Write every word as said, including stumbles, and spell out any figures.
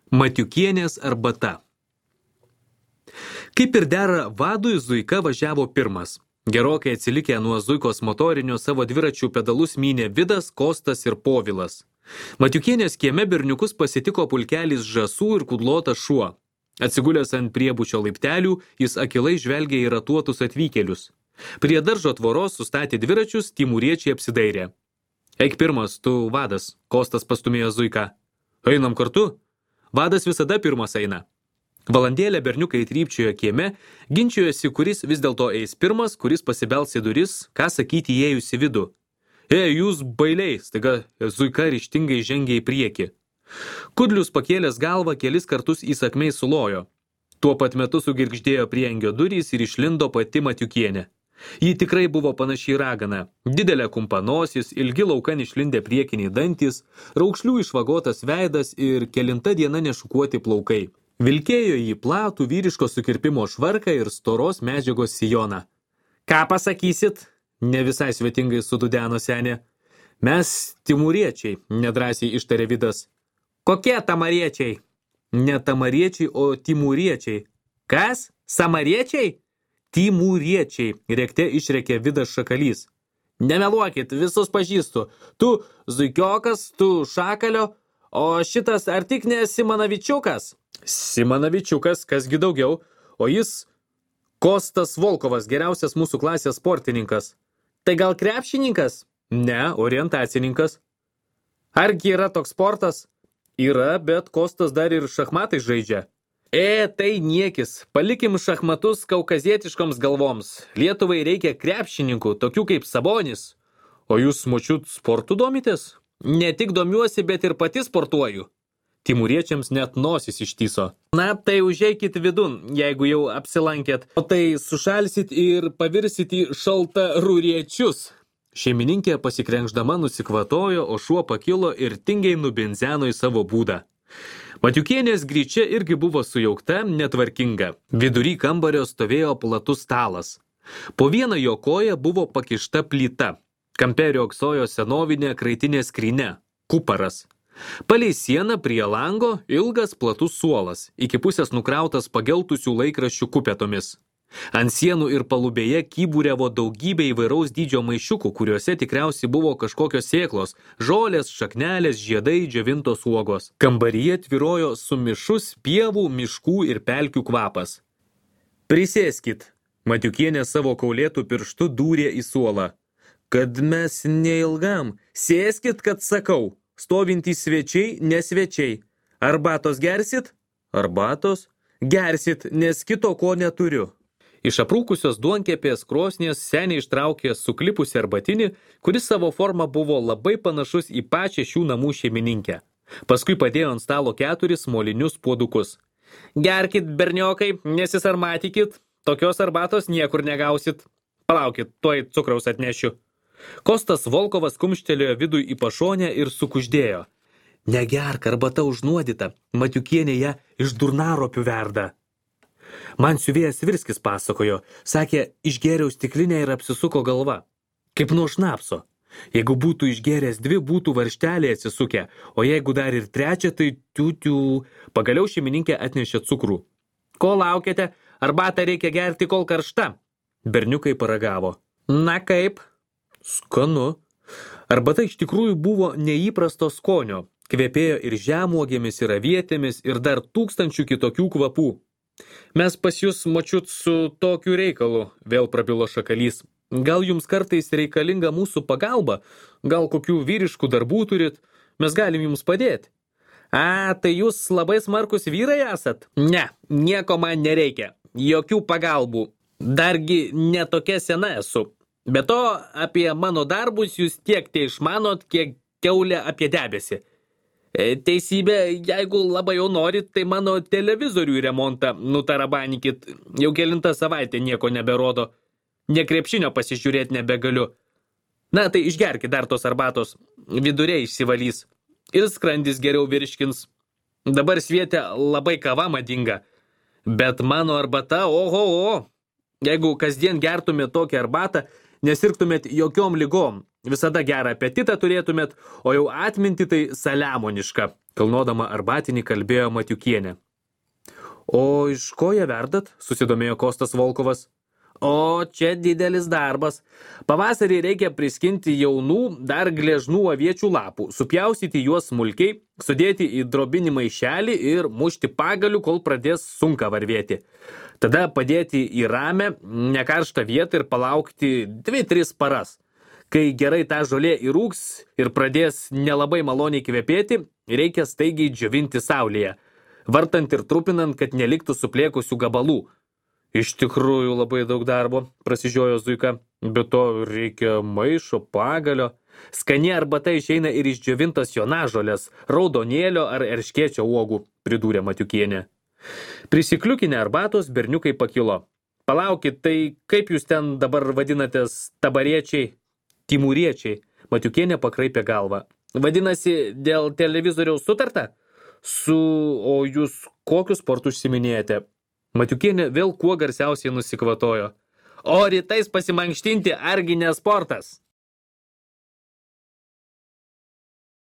Matiukienės arbata. Kaip ir dera vadui, Zuika važiavo pirmas. Gerokai atsilikę nuo Zuikos motorinio savo dviračių pedalus mynė Vidas, Kostas ir Povilas. Matiukienės kieme berniukus pasitiko pulkelis žąsų ir kudlotas šuo. Atsigulęs ant priebučio laiptelių, jis akilai žvelgė į ratuotus atvykėlius. Prie daržo tvoros sustatė dviračius, timūriečiai apsidairė. Eik pirmas, tu vadas, Kostas pastumėjo Zuiką. Einam kartu? Vadas visada pirmas eina. Valandėlę berniukai trypčiojo kieme, ginčijosi, kuris vis dėlto eis pirmas, kuris pasibels į duris, ką sakyti įėjus į vidų. Ei, jūs bailiai, staiga Zuika ryžtingai žengė į priekį. Kudlius pakėlęs galvą kelis kartus įsakmiai sulojo. Tuo pat metu sugirgždėjo priengio durys ir išlindo pati Matiukienė. Ji tikrai buvo panašiai ragana. Didelė kumpanosis, ilgi laukan išlindę priekiniai dantis, raukšlių išvagotas veidas ir kelinta diena nešukuoti plaukai. Vilkėjo jį platų vyriško sukirpimo švarką ir storos medžiagos sijoną. Ką pasakysit? Ne visai svetingai sududeno senė. Mes timūriečiai, nedrąsiai ištarė Vidas. Kokie tamariečiai? Ne tamariečiai, o timūriečiai. Kas? Samariečiai? Timūriečiai, rėkte išrėkė Vidas Šakalys. Nemeluokit, visus pažįstu. Tu Zuikiokas, tu Šakalio, o šitas ar tik ne Simanavičiukas? Simanavičiukas, kasgi daugiau, o jis Kostas Volkovas, geriausias mūsų klasės sportininkas. Tai gal krepšininkas? Ne, orientacininkas. Argi yra toks sportas? Yra, bet Kostas dar ir šachmatai žaidžia. E, tai niekis. Palikim šachmatus kaukazietiškoms galvoms. Lietuvai reikia krepšininkų, tokių kaip Sabonis. O jūs, močiut, sportu domitės? Ne tik domiuosi, bet ir pati sportuoju. Timūriečiams net nosis ištyso. Na, tai užeikit vidun, jeigu jau apsilankėt. O tai sušalsit ir pavirsit į šaltaruriečius. Šeimininkė pasikrenkšdama nusikvatojo, o šuo pakilo ir tingiai nubinzeno į savo būdą. Matiukienės gryčia irgi buvo sujaukta, netvarkinga. Vidury kambario stovėjo platus stalas. Po vieną jo koją buvo pakišta plyta. Kampe riogsojo senovinė kraitinė skrynia, kuparas. Palei sieną prie lango ilgas platus suolas, iki pusės nukrautas pageltusių laikraščių kupetomis. Ant sienų ir palubėje kyburiavo daugybė įvairaus dydžio maišiukų, kuriuose tikriausiai buvo kažkokios sėklos, žolės, šaknelės, žiedai, džiovintos uogos. Kambaryje tvyrojo sumišus pievų, miškų ir pelkių kvapas. Prisėskit, Matiukienė savo kaulėtų pirštu dūrė į suolą. Kad mes neilgam, sėskit, kad sakau, stovintys svečiai, nesvečiai. Arbatos gersit? Arbatos? Gersit, nes kito ko neturiu. Iš aprūkusios duonkepės krosnies seniai ištraukė suklipusi arbatinį, kuris savo forma buvo labai panašus į pačią šių namų šeimininkę. Paskui padėjo ant stalo keturis molinius puodukus. Gerkit, berniokai, nesisarmatykit, tokios arbatos niekur negausit. Palaukit, tuoj cukraus atnešiu. Kostas Volkovas kumštelėjo Vidui į pašonę ir sukuždėjo. Negerk, arbata užnuodyta, Matiukienė ją iš durnaropių verda. Man siuvėjas Virskis pasakojo, sakė, išgėriau stiklinę ir apsisuko galva. Kaip nuo šnapso. Jeigu būtų išgėręs dvi, būtų varštelė atsisukę, o jeigu dar ir trečia, tai tiutių. Pagaliau šeimininkė atnešė cukrų. Ko laukiate? Arbatą reikia gerti, kol karšta. Berniukai paragavo. Na kaip? Skanu. Arbata iš tikrųjų buvo neįprasto skonio. Kvepėjo ir žemuogėmis, ir avietėmis, ir dar tūkstančių kitokių kvapų. Mes pas jūs, močiut, su tokiu reikalu, vėl prabilo Šakalys. Gal jums kartais reikalinga mūsų pagalba? Gal kokių vyriškų darbų turit? Mes galim jums padėti. A, tai jūs labai smarkus vyrai esat? Ne, nieko man nereikia. Jokių pagalbų. Dargi ne tokia sena esu. Be to, apie mano darbus jūs tiek tai išmanot, kiek kiaulė apie debesį. Teisybė, jeigu labai jau norit, tai mano televizorių remontą nutarabanikit. Jau kelintą savaitę nieko neberodo. Ne krepšinio pasižiūrėti nebegaliu. Na, tai išgerkit dar tos arbatos. Viduriai išsivalys. Ir skrandis geriau virškins. Dabar svietė labai kava madinga. Bet mano arbata, oho, o. Jeigu kasdien gertumėt tokią arbatą, nesirgtumėt jokiom ligom. visada gerą apetitą turėtumėt, o jau atminti tai saliamoniška, kalnodama arbatinį kalbėjo Matiukienė. O iš ko jie verdat? Susidomėjo Kostas Volkovas. O čia didelis darbas. Pavasarį reikia priskinti jaunų, dar gležnų aviečių lapų, supjaustyti juos smulkiai, sudėti į drobinį maišelį ir mušti pagaliu, kol pradės sunka varvėti. Tada padėti į ramę, nekarštą vietą ir palaukti dvi tris paras. Kai gerai ta žolė įrūks ir pradės nelabai maloniai kvepėti, reikia staigiai džiovinti saulėje, vartant ir trupinant, kad neliktų suplėkusių gabalų. Iš tikrųjų labai daug darbo, prasižiojo Zuika, bet to reikia maišo, pagalio. Skani arbata išeina ir iš džiovintos jonažolės, raudonėlio ar erškėčio uogų, pridūrė Matiukienė. Prisikliukinę arbatos berniukai pakilo. Palaukit, tai kaip jūs ten dabar vadinatės tabariečiai? Timūriečiai, Matiukienė pakraipė galvą. Vadinasi, dėl televizoriaus sutarta? Su, o jūs kokius sportus užsiminėjate? Matiukienė vėl kuo garsiausiai nusikvatojo. O rytais pasimankštinti argi ne sportas?